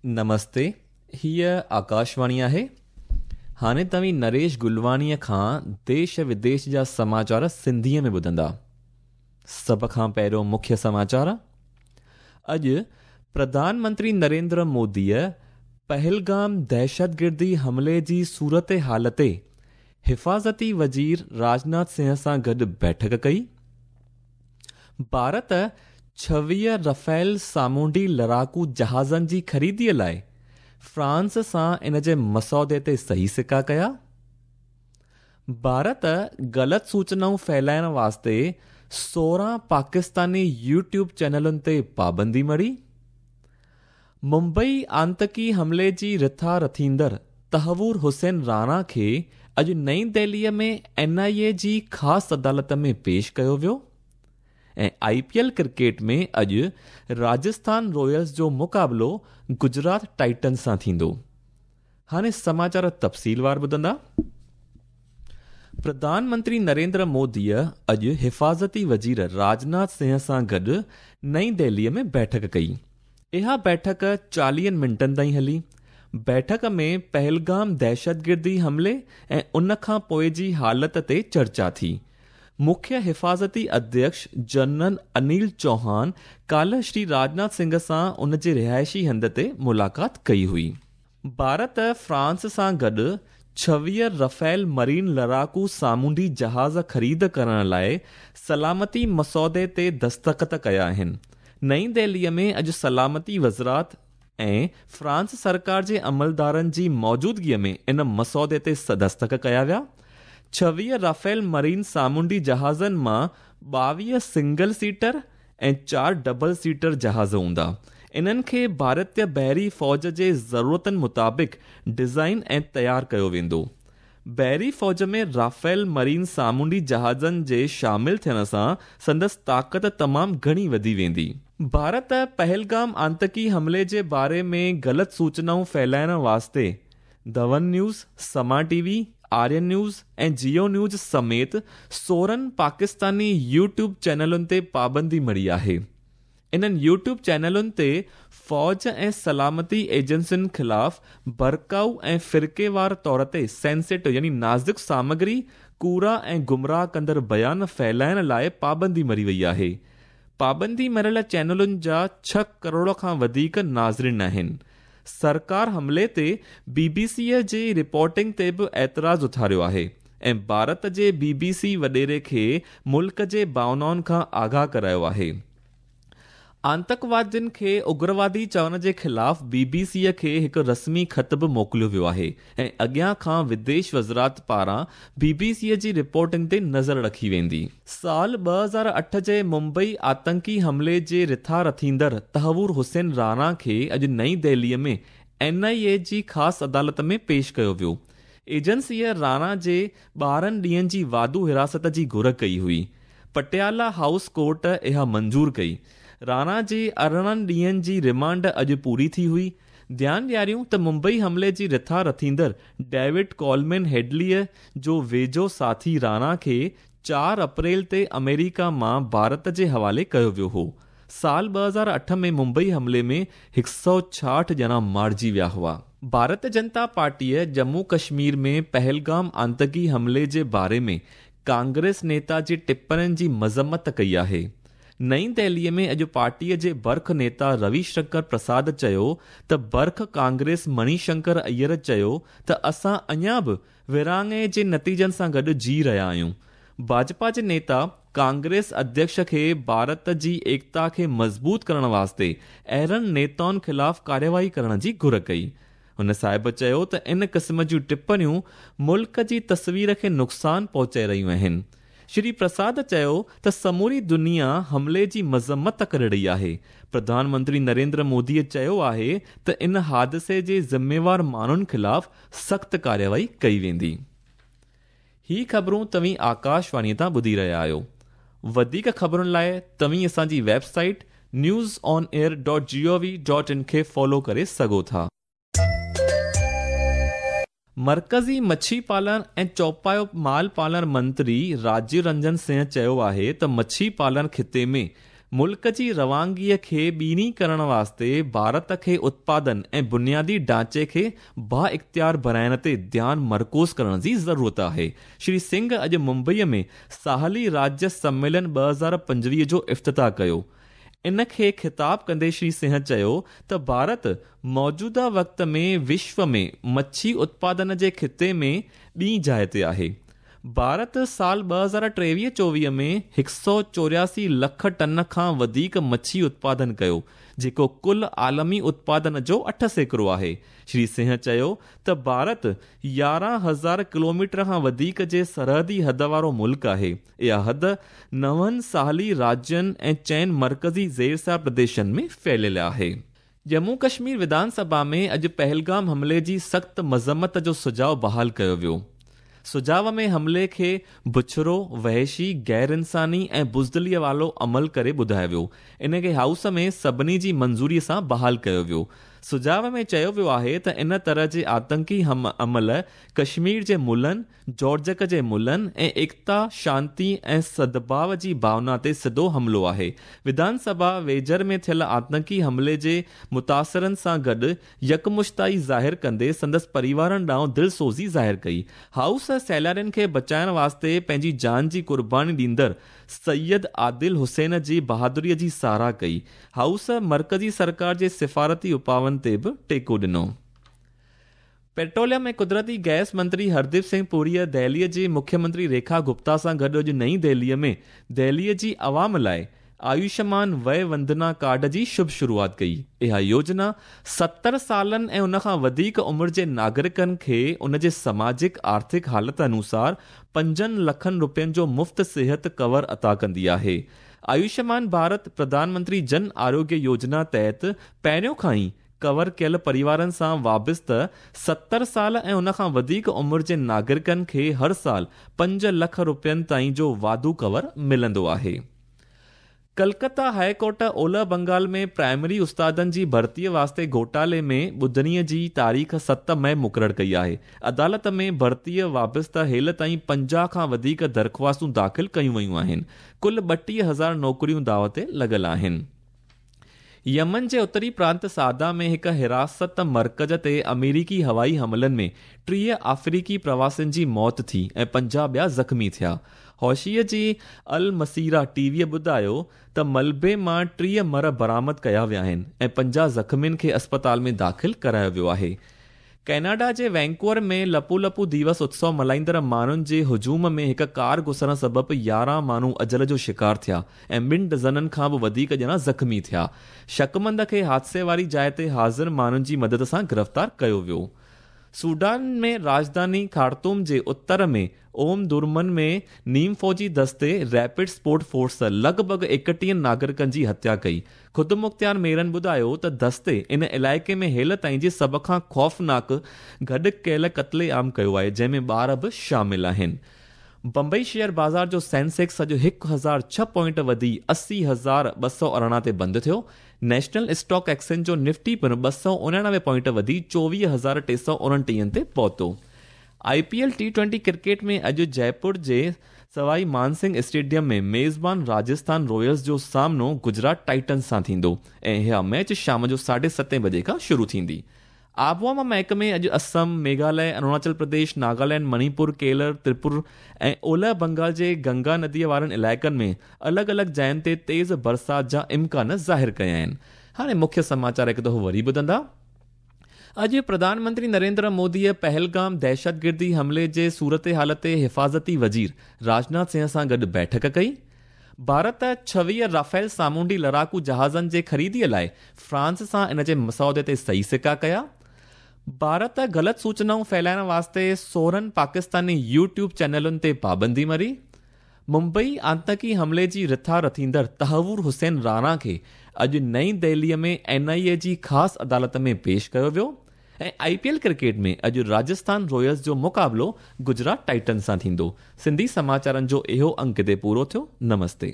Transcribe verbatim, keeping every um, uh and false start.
نمستي، هيء آڪاشواڻي آهي. هاڻي توهين نريش گلواڻيءَ کان ديش وديش جا سماچار سنڌيءَ ۾ ٻڌندا. سڀ کان پهريون مکيه سماچار. اڄ پرڌان منتري نريندر موديءَ پهلگام دهشتگردي حملي جي صورت حال تي حفاظتي وزير راجناٿ سنگهه سان گڏ بيٺڪ ڪئي. ڀارت ڇويهه رفيل سامونڊي لڙاڪو جهازن جي خريديءَ لاءِ فرانس سان ان جي مسودي تي صحيح سڪا ڪيا. ڀارت غلط سوچنائون ڦهلائڻ واسطي سورهن پاڪستاني يوٽيوب چينلن تي پابندي مڙهي. ممبئي آتنڪي حملي جي رٿا رٿيندڙ تهور حسين راڻا کي اڄ نئين دهليءَ ۾ اين آءِ اي جي خاص عدالت ۾ پيش ڪيو ويو. ۽ آئي پي ايل ڪرڪيٽ ۾ اڄ راجسٿان رائلز جو مقابلو گجرات ٽائٽنز سان ٿيندو. هاڻي سماچار تفصيلوار ٻڌندا. پرڌان منتري نريندر موديءَ اڄ حفاظتي وزير راجناٿ سنگهه سان گڏ نئين دهليءَ ۾ بيٺڪ ڪئي. اها بيٺڪ چاليهن منٽن تائين هلي. بيٺڪ ۾ پهلگام دهشتگردي حملي ۽ ان کان پوءِ جي حالت تي چرچا ٿي. مکيه حفاظتي اڌيڪش جنرل انيل چوهان ڪالهه شري راجناٿ سنگهه سان ان جي رهائشي هنڌ تي ملاقات ڪئي هئي. ڀارت فرانس سان گڏ ڇويهه رفيل مرين لڙاڪو سامونڊي جهاز خريد ڪرڻ لاءِ سلامتي مسودي تي دستخط ڪيا آهن. نئين دهليءَ ۾ اڄ سلامتي وزارت ۽ فرانس سرڪار جي عملدارن جي موجودگيءَ ۾ ان مسودي تي دستخط ڪيا ويا. ڇويهه رافيل مرين سامونڊي جهازن مان ٻاويهه سنگل سيٽر ۽ چار ڊبل سيٽر جهاز هوندا. انهن کي ڀارتيه بحري فوج جي ضرورتن مطابق ڊزائن ۽ تيار ڪيو ويندو. بحري فوج ۾ رافيل مرين سامونڊي جهازن جي شامل ٿيڻ سان سندس طاقت تمام گهڻي وڌي ويندي. ڀارت پهلگام آتنڪي حملي جي باري ۾ غلط سوچنائون ڦهلائڻ واسطي Dawn News، Samaa T V، Aryan News ۽ Geo News سميت سورهن پاڪستاني يوٽيوب چينلن تي پابندي مڙهي آهي. انهن يوٽيوب چينلن تي فوج ۽ سلامتي ايجنسين خلاف ڀڙڪائو ۽ فرقيوار طور تي سينسيٽو يعني نازڪ سامگري، ڪوڙا ۽ گمراهه ڪندڙ بيان ڦهلائڻ لاءِ پابندي مڙهي وئي آهي. پابندي مڙهيل چينلن جا ڇهه ڪروڙ کان وڌيڪ ناظرين آهن. سرڪار حملي تي بي بي سيءَ جي رپورٽنگ تي به اعتراض اٿاريو آهي ۽ ڀارت جي بي بي سي وڏيري کي ملڪ جي ڀاونائن کان آگاهه ڪرايو آهي. آتنڪوادين کي اگروادي چوڻ جي خلاف بي بي سيءَ کي هڪ رسمي خط به موڪليو ويو آهي ۽ اڳيان کان وديش وزارت پاران بي بي سيءَ جي رپورٽنگ تي نظر رکي ويندي. سال ٻه هزار اٺ جي ممبئي آتنڪي حملي جي رٿا رٿيندڙ تهور حسين راڻا کي اڄ نئين دهليءَ ۾ اين آءِ اي جي خاص عدالت ۾ پيش ڪيو ويو. ايجنسيءَ راڻا جي ٻارهن ڏينهن جي واڌو حراست جي گهر ڪئي هئي. پٽيالا هائوس ڪورٽ اها منظور ڪئي. راڻا جي ارڙهن ڏينهن جي رمانڊ اڄ پوري ٿي هئي. ڌيان ڏياريون ته ممبئي حملي جي رٿا رٿيندڙ ڊيوڊ ڪولمين هيڊليءَ جو ويجهو ساٿي راڻا کي چار اپريل تي آمريڪا مان ڀارت جي حوالي ڪيو ويو هو. سال ٻه هزار اٺ ۾ ممبئي حملي ۾ هڪ سؤ ڇاهٺ ڄڻا مارجي ويا هئا. ڀارتيه جنتا پارٽيءَ ڄمون ڪشمير ۾ پهلگام آتنڪي حملي جي باري ۾ ڪانگريس نيتا جي ٽپڻين جي مذمت ڪئي آهي. نئين دهليءَ ۾ اڄ پارٽيءَ جي برک نيتا روي شنڪر پرساد چيو ته برک ڪانگريس مڻي شنڪر ايئر چيو ته اسان اڃا به ورهاڱي جي نتيجن سان گڏ جي رهيا آهيون. ڀاجپا جي نيتا ڪانگريس اڌيڪش کي ڀارت جي ايڪتا کي مضبوط ڪرڻ واسطي اهڙن نيتائن خلاف ڪارروائي ڪرڻ جي گهر ڪئي. هن صاحب چيو ته ان قسم جون ٽپڻيون ملڪ جي تصوير کي نقصان پهچائي رهيون آهن. شري پرساد چيو ته سموري دنيا حملي جي مذمت ڪري رهي آهي. پرڌان منتري نريندر موديءَ چيو آهي ته ان حادثي جي ذميوار ماڻهن خلاف سخت ڪارروائي ڪئي ويندي. هي خبرون توهين آڪاشواڻيءَ تان ٻڌي رهيا آهيو. وڌيڪ خبرن لاءِ توهين اسان جي website news on air dot G O V dot in کي فالو ڪري سگهو ٿا. مرڪزي مڇي پالڻ ۽ چوپايو مال پالڻ منتري راجيو رنجن سنگهه چيو آهي ته مڇي پالڻ خطي ۾ मुल्क जी रवानगीअ खे ॿीणी करण वास्ते भारत खे उत्पादन ऐं बुनियादी ढांचे खे बा-इख़्तियार बणाइण ते ध्यानु मरकूज़ करण जी ज़रूरत आहे। श्री सिंह अॼु मुंबईअ में साहली राज्य सम्मेलन ॿ हज़ार पंजवीह जो इफ़्तिताह कयो। इन खे ख़िताब कंदे श्री सिंह चयो त भारत मौजूदा वक़्त में विश्व में मच्छी उत्पादन जे ख़िते में ॿी जाइ ते आहे। भारत साल ॿ हज़ार टेवीह चोवीह में हिकु सौ चौरासी लख टन खां वधीक मच्छी उत्पादन कयो, जेको कुल आलमी उत्पादन जो अठ सैकड़ो आहे। श्री सिंह चयो त भारत यारहं हज़ार किलोमीटर खां वधीक जे सरहदी हद वारो मुल्क आहे। इहा हद नवनि साहली राज्यनि ऐं चइनि मर्कज़ी ज़ेरसार प्रदेशनि में फैलियल आहे। जम्मू कश्मीर विधानसभा में अॼु पहलगाम हमले जी सख़्त मज़म्मत जो सुझाव बहाल कयो वियो। सुझाव में हमले खे बुछरो, वहशी, गैर इंसानी ऐं बुज़दिलीअ वारो अमल करे ॿुधायो वियो। इन खे हाउस में सभिनी जी मंज़ूरीअ सां बहाल कयो वियो। सुझाव में चयो वियो आहे त इन तरह जे आतंकी हम अमल कश्मीर जे मुलनि, जॉर्जक जे मुलनि ऐं एकता, शांति ऐं सद्भाव जी भावना ते सिधो हमलो आहे। विधानसभा वेझर में थियल आतंकी हमले जे मुतासिरनि सां गॾु यकमुश्ताई ज़ाहिर कंदे संदसि परिवारनि ॾांहुं दिलसोज़ी ज़ाहिर कई। हाउस सैलानियुनि खे बचाइण वास्ते पंहिंजी जान जी कुर्बानी ॾींदड़ सैयद आदिल हुसैन जी बहादुरीअ जी सराह कई। हाउस मर्कज़ी सरकार जे सिफारती उपाउनि ते बि टेको ॾिनो। पेट्रोलियम ऐं कुदरती गैस मंत्री हरदीप सिंह पुरीअ दिल्लीअ जी मुख्यमंत्री रेखा गुप्ता सां गॾु अॼु नई दिल्लीअ में दिल्लीअ जी आवाम लाइ आयुष्मान वय वंदना कार्ड जी शुभ शुरुआत कई। इहा योजना सत्तर सालनि ऐं उन खां वधीक उमिरि जे नागरिकनि खे उन जे समाजिक आर्थिक हालत अनुसार पंजनि लखनि रुपयनि जो मुफ़्त सिहत कवर अता कंदी आहे। आयुष्मान भारत प्रधानमंत्री जन आरोग्य योजना तहत पहिरियों खां ई कवर कयल परिवारनि सां वाबस्ता सत्तर साल ऐं उन खां वधीक उमिरि जे नागरिकनि खे हर साल पंज लख रुपयनि ताईं जो वाधू कवर मिलंदो आहे। कलकत्ता हाई कोर्ट ओलह बंगाल में प्राइमरी उस्तादनि जी भर्तीअ वास्ते घोटाले में ॿुधणीअ जी तारीख़ सत मई मुक़ररु कई आहे। अदालत में भर्तीअ वाबस्ता हेल ताईं पंजाह खां वधीक दरख़्वास्तूं दाख़िल कयूं वयूं आहिनि। कुल ॿटीह हज़ार नौकरियूं दाव ते लॻल आहिनि। यमन जे उत्तरी प्रांत सादा में हिकु हिरासत मर्कज़ ते अमेरिकी हवाई हमलनि में टीह अफ्रीकी प्रवासियुनि जी मौत थी ऐं पंजाह ॿिया ज़ख़्मी थिया। हौशीअ जी अल मसीरा टीवीअ ॿुधायो त मलबे मां टीह मर बरामद कया विया आहिनि ऐं पंजाह ज़ख़्मियुनि खे अस्पताल में दाख़िल करायो वियो आहे। कैनाडा जे वैंकूवर में लपू लपू दिवस उत्सव मल्हाईंदड़ माण्हुनि जे हुजूम में हिकु कार घुसण सबबि यारहं माण्हू अजल जो शिकार थिया ऐं ॿिनि डज़ननि खां बि वधीक ॼणा ज़ख़्मी थिया। शकमंद खे हादसे वारी जाइ ते हाज़िर माण्हुनि जी मदद सां गिरफ़्तार कयो वियो। सूडान में राजधानी खार्तूम जे उत्तर में ओम दुर्मन में नीम फौजी दस्ते रैपिड सपोर्ट फोर्स लॻभॻि एकटीहनि नागरिकनि जी हत्या कई। ख़ुदि मुख़्तियार मेयरनि ॿुधायो त दस्ते इन इलाइक़े में हेल ताईं जे सभ खां ख़ौफ़नाक गॾु कयल क़त्ले-आम कयो आहे, जंहिंमें ॿार बि शामिल आहिनि। बंबई शेयर बाज़ार जो सेंसेक्स अॼु हिकु हज़ार छह पॉइंट वधी असी हज़ार ॿ सौ अरिड़हं ते बंदि थियो। नेशनल स्टॉक एक्सचेंज जो निफ्टी पिणु ॿ सौ उणानवे पॉइंट वधी चोवीह हज़ार टे सौ उणटीहनि ते पहुतो। I P L T twenty cricket में अॼु जयपुर जे सवाई मानसिंह स्टेडियम में मेज़बान राजस्थान रॉयल्स जो सामनो गुजरात टाइटन्स सां थींदो ऐं इहा मैच शाम जो साढे सतें बजे खां शुरू थींदी। आबोहवा महकमे अॼु असम, मेघालय, अरुणाचल प्रदेश, नागालैंड, मणिपुर, केरल, त्रिपुर ऐं ओलह बंगाल जे गंगा नदीअ वारनि इलाइक़नि में अलॻि अलॻि जायुनि ते तेज़ बरसाति जा इम्कान ज़ाहिर कया आहिनि। हाणे मुख्य समाचार हिकु दफ़ो वरी ॿुधंदा। अॼु प्रधानमंत्री नरेंद्र मोदीअ पहलगाम दहशतगिर्दी हमले जे सूरत हाल ते हिफाज़ती वज़ीर राजनाथ सिंह सां गॾु बैठक कई। भारत छवीह राफेल सामुंडी लड़ाकू जहाज़नि जे ख़रीदीअ लाइ फ्रांस सां इन जे मसौदे ते सही सिक्का कया। भारत ग़लति सूचनाऊं फैलाइण वास्ते सोरहं पाकिस्तानी यूट्यूब चैनलुनि ते पाबंदी मरी। मुंबई आतंकी हमले जी रिथा रथींदड़ तहवूर हुसैन राणा खे अॼु नई दिल्लीअ में एन आई ए जी ख़ासि अदालत में पेश कयो वियो। ऐं I P L cricket में अॼु राजस्थान रॉयल्स जो मुक़ाबिलो गुजरात टाइटन्स सां थींदो। सिंधी समाचारनि जो इहो अंक हिते पूरो थियो। नमस्ते।